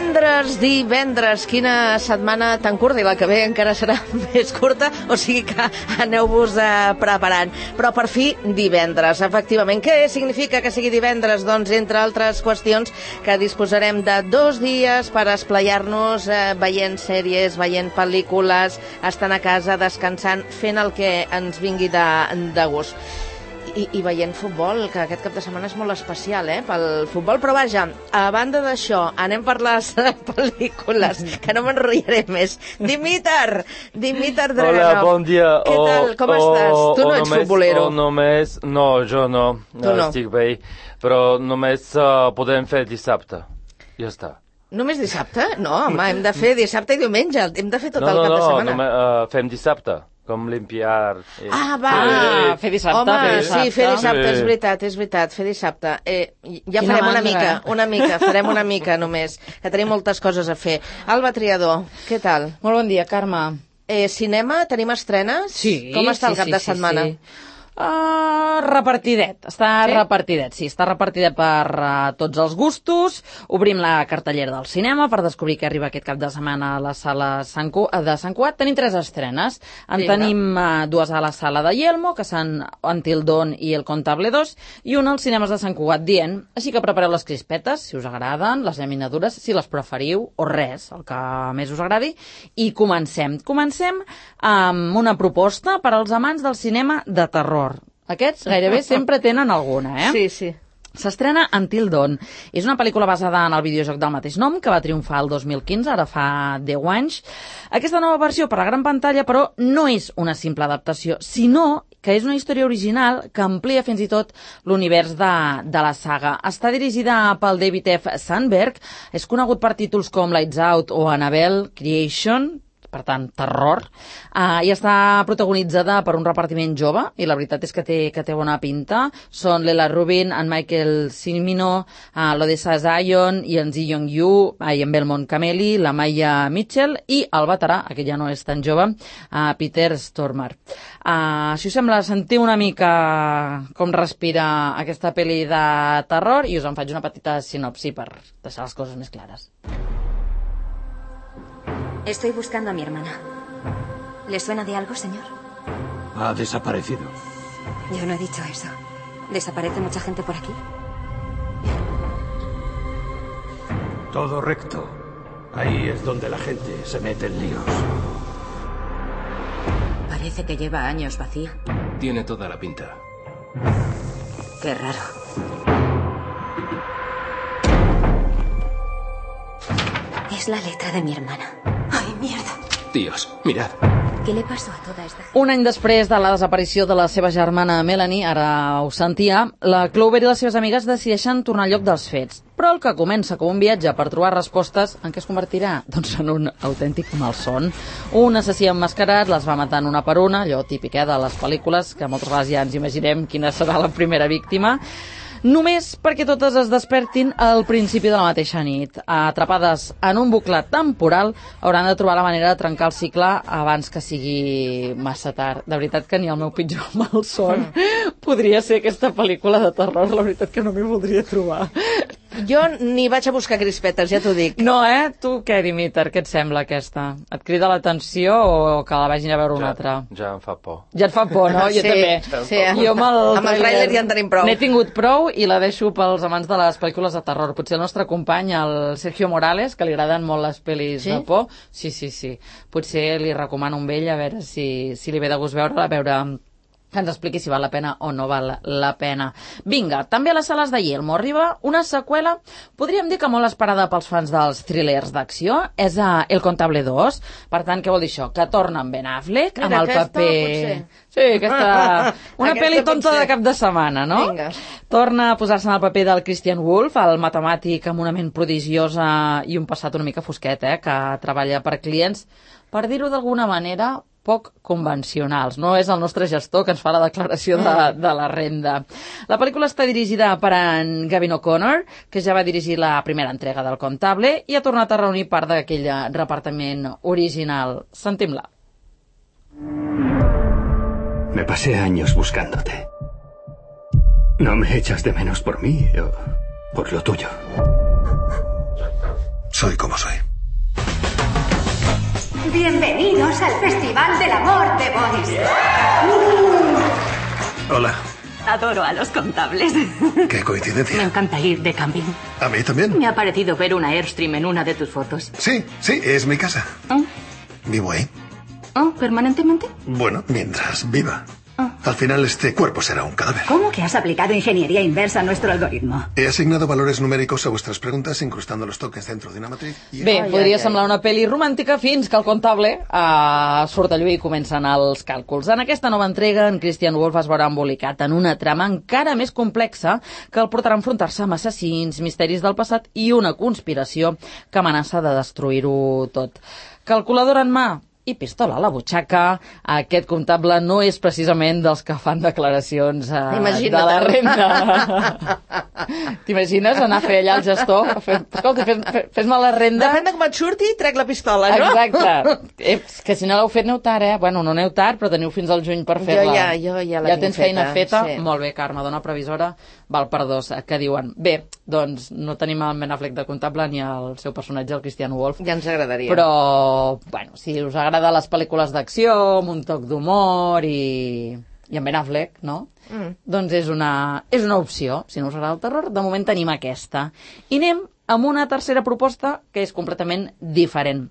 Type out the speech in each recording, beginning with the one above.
Divendres, quina setmana tan curta, i la que ve encara serà més curta, o sigui que aneu-vos preparant. Però per fi divendres, efectivament. Què significa que sigui divendres? Doncs, entre altres qüestions, que disposarem de 2 dies per esplaiar-nos veient sèries, veient pel·lícules, estant a casa, descansant, fent el que ens vingui de gust. I veient futbol, que aquest cap de setmana és molt especial, pel futbol. Però vaja, a banda d'això, anem per les pel·lícules, que no m'enrotllaré més. Dimitar Draganov. Hola, bon dia. Què tal, com estàs? Tu no ets futbolero. No, jo no. Estic bé, però només podem fer dissabte. Ja està. Només dissabte? No, home, hem de fer dissabte i diumenge. Hem de fer tot el cap de setmana. No, fem dissabte. Com limpiar... fer dissabte. Home, sí, fer dissabte, és veritat, fer dissabte. Ja farem farem una mica només, que tenim moltes coses a fer. Alba Triador, què tal? Molt bon dia, Carme. Cinema, tenim estrenes? Sí. Com està el cap de setmana? Repartidet, està repartidet per tots els gustos. Obrim la cartellera del cinema per descobrir què arriba aquest cap de setmana a la sala de Sant Cugat. Tenim 3 estrenes. Tenim 2 a la sala de Yelmo, que són Until Dawn i El Contable 2, i una als cinemes de Sant Cugat dient. Així que prepareu les crispetes, si us agraden, les llaminadures, si les preferiu, o res, el que més us agradi, i comencem. Comencem amb una proposta per als amants del cinema de terror. Aquests gairebé sempre tenen alguna, Sí. S'estrena Until Dawn. És una pel·lícula basada en el videojoc del mateix nom, que va triomfar el 2015, ara fa 10 anys. Aquesta nova versió per a la gran pantalla, però, no és una simple adaptació, sinó que és una història original que amplia fins i tot l'univers de la saga. Està dirigida pel David F. Sandberg, és conegut per títols com Lights Out o Annabelle Creation, per tant, terror, i està protagonitzada per un repartiment jove, i la veritat és que té bona pinta. Són Lela Rubin, en Michael Cimino, l'Odessa Zion, i en Ji Young-yu, i en Belmont Cameli, la Maya Mitchell, i el veterà, aquest ja no és tan jove, Peter Stormare. Si us sembla, sentiu una mica com respira aquesta pel·li de terror, i us en faig una petita sinopsi per deixar les coses més clares. Estoy buscando a mi hermana. ¿Le suena de algo, señor? Ha desaparecido. Yo no he dicho eso. ¿Desaparece mucha gente por aquí? Todo recto. Ahí es donde la gente se mete en líos. Parece que lleva años vacía. Tiene toda la pinta. Qué raro. Es la letra de mi hermana. ¡Ay, mierda! Dios, mirad. Què li pasó a tota esta gent? Un any després de la desaparició de la seva germana Melanie, ara ho sentia, la Clover i les seves amigues decideixen tornar al lloc dels fets. Però el que comença com un viatge per trobar respostes, en què es convertirà? Doncs en un autèntic malson. Un assassí emmascarat les va matant una per una, allò típic de les pel·lícules, que moltes vegades ja ens imaginem quina serà la primera víctima, només perquè totes es despertin al principi de la mateixa nit. Atrapades en un bucle temporal, hauran de trobar la manera de trencar el cicle abans que sigui massa tard. De veritat que ni el meu pitjor malson podria ser aquesta pel·lícula de terror. La veritat que no m'hi voldria trobar. Jo ni vaig a buscar crispetes, ja t'ho dic. No, Tu què, Dimitar? Què et sembla aquesta? Et crida l'atenció o que la vagin a veure una altra? Ja em fa por. Ja et fa por, no? Jo també. Sí, jo amb el tràiler ja en tenim prou. N'he tingut prou i la deixo pels amants de les pel·lícules de terror. Potser el nostre company, el Sergio Morales, que li agraden molt les pel·lis de por. Sí. Potser li recomano un vell a veure si li ve de gust veure-la, a veure que ens expliqui si val la pena o no val la pena. Vinga, també a les sales de Yelmo arriba una seqüela, podríem dir que molt esperada pels fans dels thrillers d'acció, és El Contable 2. Per tant, què vol dir això? Que torna en Ben Affleck, amb el paper... Potser. Sí, aquesta... Una pel·li tonta de cap de setmana, no? Vinga. Torna a posar-se en el paper del Christian Wolff, el matemàtic amb una ment prodigiosa i un passat una mica fosquet, que treballa per clients, per dir-ho d'alguna manera, poc convencionals. No és el nostre gestor que ens fa la declaració de la renda. La pel·lícula està dirigida per en Gavin O'Connor, que ja va dirigir la primera entrega del Contable i ha tornat a reunir part d'aquell repartiment original. Sentim-la. Me pasé años buscándote. ¿No me echas de menos por mí o por lo tuyo? soy como soy. Bienvenidos al Festival del Amor de Boris. Hola. Adoro a los contables. Qué coincidencia. Me encanta ir de camping. A mí también. Me ha parecido ver una Airstream en una de tus fotos. Sí, es mi casa. Vivo ahí. ¿Permanentemente? Bueno, mientras viva. Al final este cuerpo será un cadáver. ¿Cómo que has aplicado ingeniería inversa a nuestro algoritmo? He asignado valores numèricos a vuestras preguntas incrustando los tokens dentro de una matriz. Bé, podria semblar una pel·li romàntica fins que el comptable surt a lluir i comencen els càlculs. En aquesta nova entrega, en Christian Wolff es veurà embolicat en una trama encara més complexa que el portarà a enfrontar-se amb assassins, misteris del passat i una conspiració que amenaça de destruir-ho tot. Calculadora en mà i pistola a la butxaca, aquest comptable no és precisament dels que fan declaracions de la renda. T'imagines anar a fer allà al gestor? Escolta, fes-me la renda. Depèn de com et surti, trec la pistola, no? Exacte. Que si no l'heu fet, aneu tard, eh? Bueno, no aneu tard, però teniu fins al juny per fer-la. Jo ja la tinc feta. Ja tens feina feta? Sí. Molt bé, Carme, dona previsora, val per dos, que diuen. Bé, doncs no tenim el Ben Affleck de comptable ni el seu personatge, el Christian Wolff. Ja ens agradaria. Però, bueno, si us agrada les pel·lícules d'acció, amb un toc d'humor i en Ben Affleck, no? Doncs és una opció. Si no us agrada el terror, de moment tenim aquesta. I anem amb una tercera proposta que és completament diferent.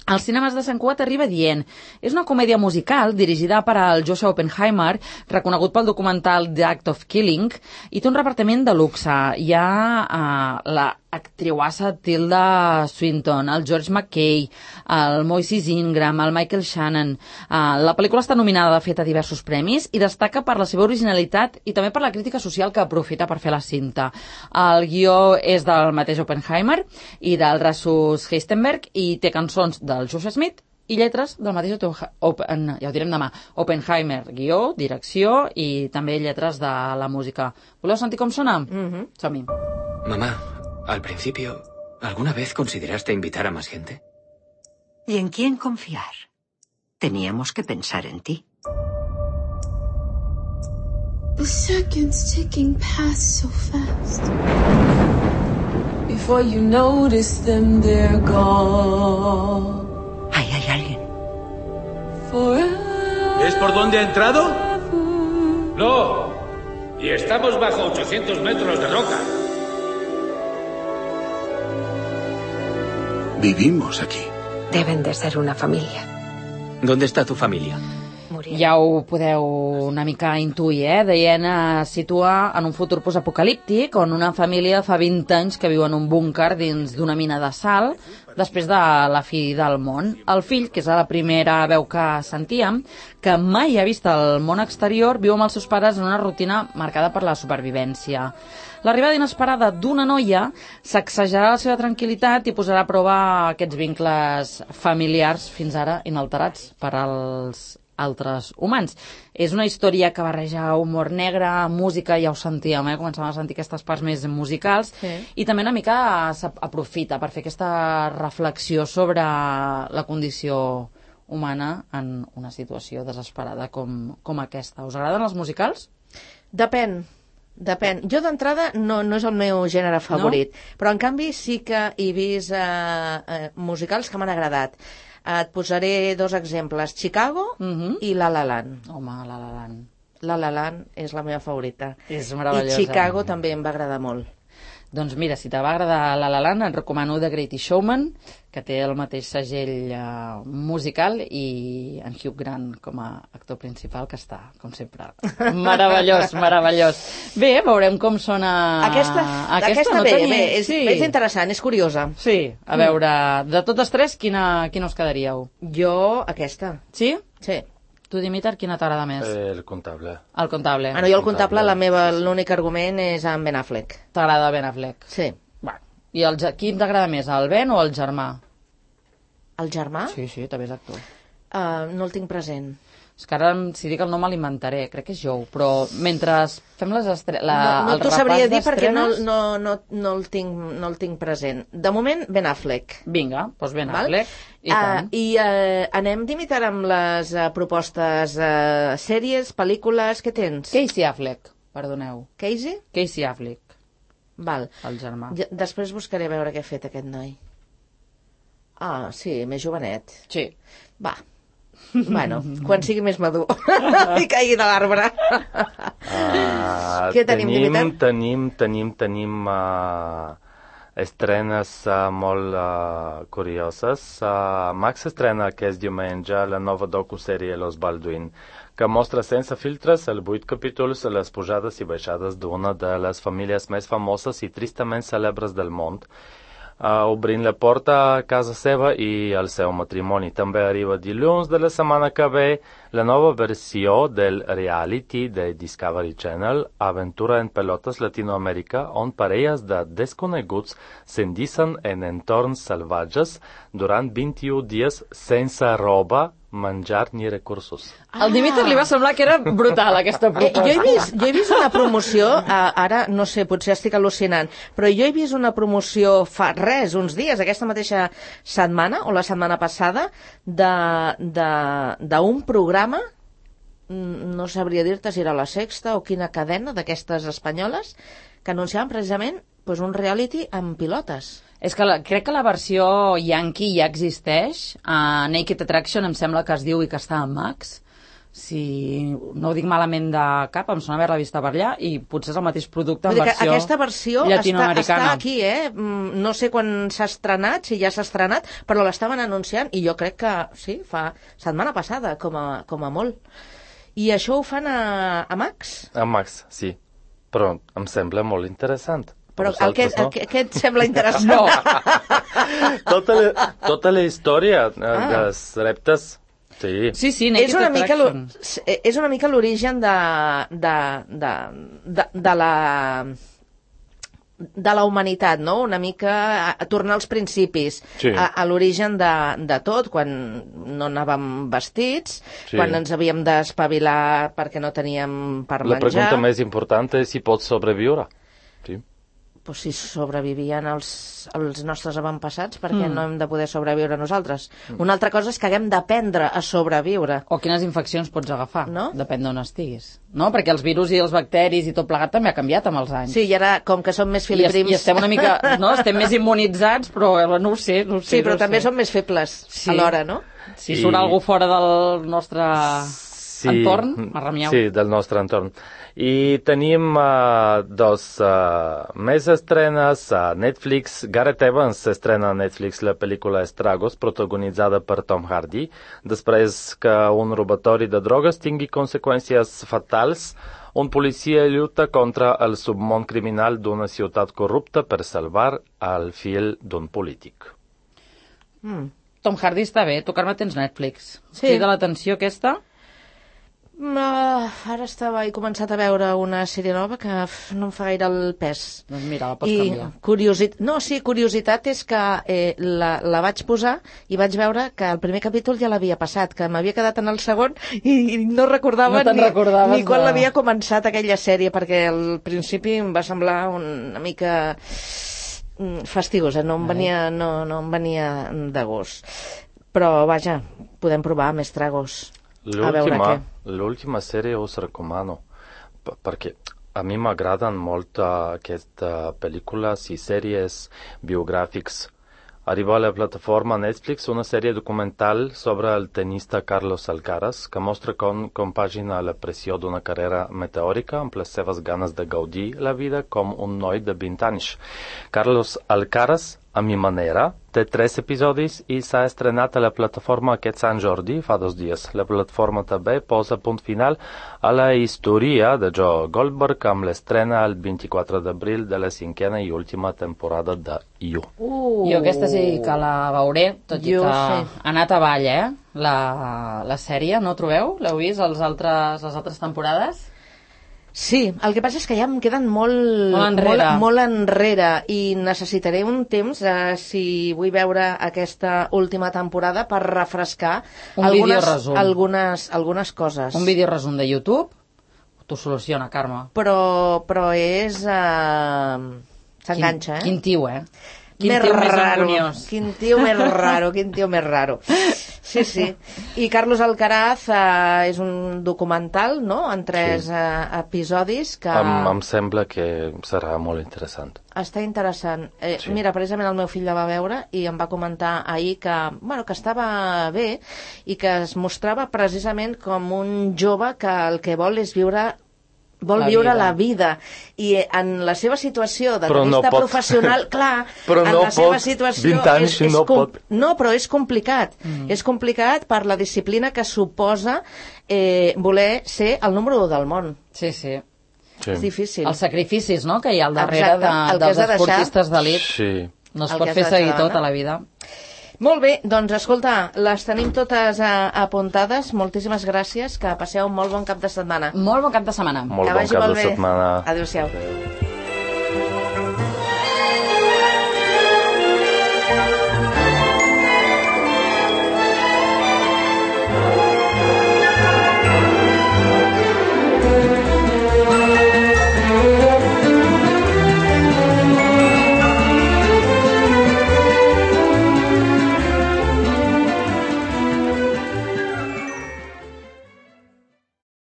Als cinemes de Sant Cugat arriba dient. És una comèdia musical dirigida per al Joshua Oppenheimer, reconegut pel documental The Act of Killing, i té un repartiment de luxe. Hi ha la actriuassa Tilda Swinton, el George McKay, el Moises Ingram, el Michael Shannon. La pel·lícula està nominada, de fet, a diversos premis i destaca per la seva originalitat i també per la crítica social que aprofita per fer la cinta. El guió és del mateix Oppenheimer i del Rasmus Heistenberg i té cançons del Josh Smith i lletres del mateix ja ho direm demà, Oppenheimer, guió, direcció i també lletres de la música. Voleu sentir com sona? Som-hi. Mamá, al principio, ¿alguna vez consideraste invitar a más gente? ¿Y en quién confiar? Teníamos que pensar en ti. The seconds ticking past so fast. Before you notice them, they're gone. Ahí hay alguien. ¿Es por dónde ha entrado? No. Y estamos bajo 800 metros de roca. Vivimos aquí. Deben de ser una familia. ¿Dónde está tu familia? Ja ho podeu una mica intuir, Deien situa en un futur postapocalíptic on una família fa 20 anys que viu en un búnquer dins d'una mina de sal després de la fi del món. El fill, que és la primera veu que sentíem, que mai ha vist el món exterior, viu amb els seus pares en una rutina marcada per la supervivència. L'arribada inesperada d'una noia sacsejarà la seva tranquil·litat i posarà a prova aquests vincles familiars fins ara inalterats per als altres humans. És una història que barreja humor negre, música, ja ho sentíem, començàvem a sentir aquestes parts més musicals, i també una mica s'aprofita per fer aquesta reflexió sobre la condició humana en una situació desesperada com aquesta. Us agraden els musicals? Depèn. Jo d'entrada no és el meu gènere favorit, però en canvi sí que he vist musicals que m'han agradat. Et posaré dos exemples, Chicago i La La Land. Home, La La Land. La La Land és la meva favorita. És meravellosa. I Chicago també em va agradar molt. Doncs mira, si te va agradar La La Land, et recomano The Greatest Showman, que té el mateix segell musical, i en Hugh Grant com a actor principal, que està, com sempre, meravellós. Bé, veurem com sona... Aquesta no bé, sí. És interessant, és curiosa. Sí, a veure, de totes tres, quina us quedaríeu? Jo, aquesta. Sí? Sí. Tu, Dimitar, quina t'agrada més? El comptable. El comptable. No, jo el comptable, l'únic argument és en Ben Affleck. T'agrada Ben Affleck? Sí. I qui t'agrada més, el Ben o el germà? El germà? Sí, també és actor. No el tinc present. És que ara, si dic el nom, l'inventaré. Crec que és Joe, però mentre fem les estrenes... No t'ho sabria dir perquè no el tinc present. De moment, Ben Affleck. Vinga, doncs Ben Affleck. I anem d'imitar amb les propostes sèries, pel·lícules... Què tens? Casey Affleck, perdoneu. Casey? Casey Affleck. Val. El germà. Després buscaré a veure què ha fet aquest noi. Ah, sí, més jovenet. Sí. Va. Bueno, quan sigui més madur i caigui de l'arbre. Què tenim? Tenim estrenes molt curioses. Max estrena aquest diumenge la nova docusèrie Los Baldwin, que mostra sense filtres els 8 capítols les pujades i baixades d'una de les famílies més famoses i tristament cèlebres del món, obrint la porta a casa seva i al seu matrimoni. També arriba dilluns de la setmana que ve la nova versió del reality de Discovery Channel, Aventura en Pelotes Latinoamèrica, on parelles de desconeguts s'endicen en entorns salvatges durant 21 dies sense roba, menjar ni recursos. Al Dimitri li va semblar que era brutal, aquesta proposta. Jo he vist una promoció, ara no sé, potser estic al·lucinant, però jo he vist una promoció fa uns dies, aquesta mateixa setmana, o la setmana passada, d'un programa, no sabria dir-te si era la Sexta o quina cadena d'aquestes espanyoles, que anunciaven precisament un reality amb pilotes. És que crec que la versió yankee ja existeix. A Naked Attraction em sembla que es diu i que està en Max. Si no ho dic malament de cap, em sona haver-la vista per allà, i potser és el mateix producte en versió aquesta versió està aquí, no sé quan s'ha estrenat, si ja s'ha estrenat, però l'estaven anunciant, i jo crec que sí, fa setmana passada, com a molt. I això ho fan a Max? A Max, sí. Però em sembla molt interessant. Però què et sembla interessant? No. Tota la història dels reptes. Sí. Sí, Naked Attraction. És una mica l'origen de la humanitat, no? Una mica a tornar als principis, a l'origen de tot, quan no anàvem vestits, quan ens havíem d'espavilar perquè no teníem per menjar. La pregunta més important és si pots sobreviure. Sí. Pues si sobrevivien els nostres avantpassats, perquè no hem de poder sobreviure nosaltres. Una altra cosa és que haguem d'aprendre a sobreviure. O quines infeccions pots agafar, no? Depèn d'on estiguis. No? Perquè els virus i els bacteris i tot plegat també ha canviat amb els anys. Sí, i ara, com que som més filiprims... I estem una mica... No? Estem més immunitzats, però no ho sé. Sí, però també som més febles alhora, no? Si surt algú fora del nostre entorn, arremiau. Sí, del nostre entorn. I tenim més estrenes a Netflix. Gareth Evans estrena a Netflix la pel·lícula Estragos, protagonitzada per Tom Hardy, després que un robatori de drogues tingui conseqüències fatals. Un policia lluita contra el submón criminal d'una ciutat corrupta per salvar el fill d'un polític. Tom Hardy està bé. Tu, Carme, tens Netflix. Sí. Crida l'atenció aquesta? Ara he començat a veure una sèrie nova que no em fa gaire el pes. Doncs mira, la pots canviar. Curiositat és que la vaig posar i vaig veure que el primer capítol ja l'havia passat, que m'havia quedat en el segon i no recordava ni quan l'havia començat aquella sèrie, perquè al principi em va semblar una mica fastigosa, no em venia de gust. Però vaja, podem provar més tragos. L'última sèrie us recomano, perquè a mi m'agraden molt aquestes pel·lícules i sèries biogràfics. Arriba a la plataforma Netflix una sèrie documental sobre el tenista Carlos Alcaraz, que mostra com compagina la pressió d'una carrera meteòrica amb les seves ganes de gaudir la vida com un noi de 20 anys. Carlos Alcaraz, a mi manera, té 3 episodis i s'ha estrenat a la plataforma aquest Sant Jordi fa 2 dies. La plataforma també posa punt final a la història de Joe Goldberg amb l'estrena el 24 d'abril de la 5a i última temporada de You. Jo aquesta sí que la veuré, tot i que ha anat avall, la sèrie, no trobeu? L'heu vist, les altres temporades? Sí, el que passa és que ja em queden molt enrere i necessitaré un temps, si vull veure aquesta última temporada, per refrescar algunes coses. Un videoresum de YouTube t'ho soluciona, Carme. Però és... s'enganxa, Quin tio, Quin tio més raro. Sí. I Carlos Alcaraz és un documental, no?, en 3 episodis que... Em sembla que serà molt interessant. Està interessant. Mira, precisament el meu fill la va veure i em va comentar ahir que estava bé i que es mostrava precisament com un jove que el que vol és viure la vida, i en la seva situació de tenista professional, clar, en la seva situació però és complicat. És complicat per la disciplina que suposa voler ser el número 1 del món. Sí. És difícil. Els sacrificis, no?, que hi ha al darrere dels esportistes d'elit. Sí. No es pot fer seguir tot a la vida. Molt bé, doncs escolta, les tenim totes apuntades. Moltíssimes gràcies, que passeu un molt bon cap de setmana. Molt bon cap de setmana. Molt bon cap de setmana. Adéu-siau.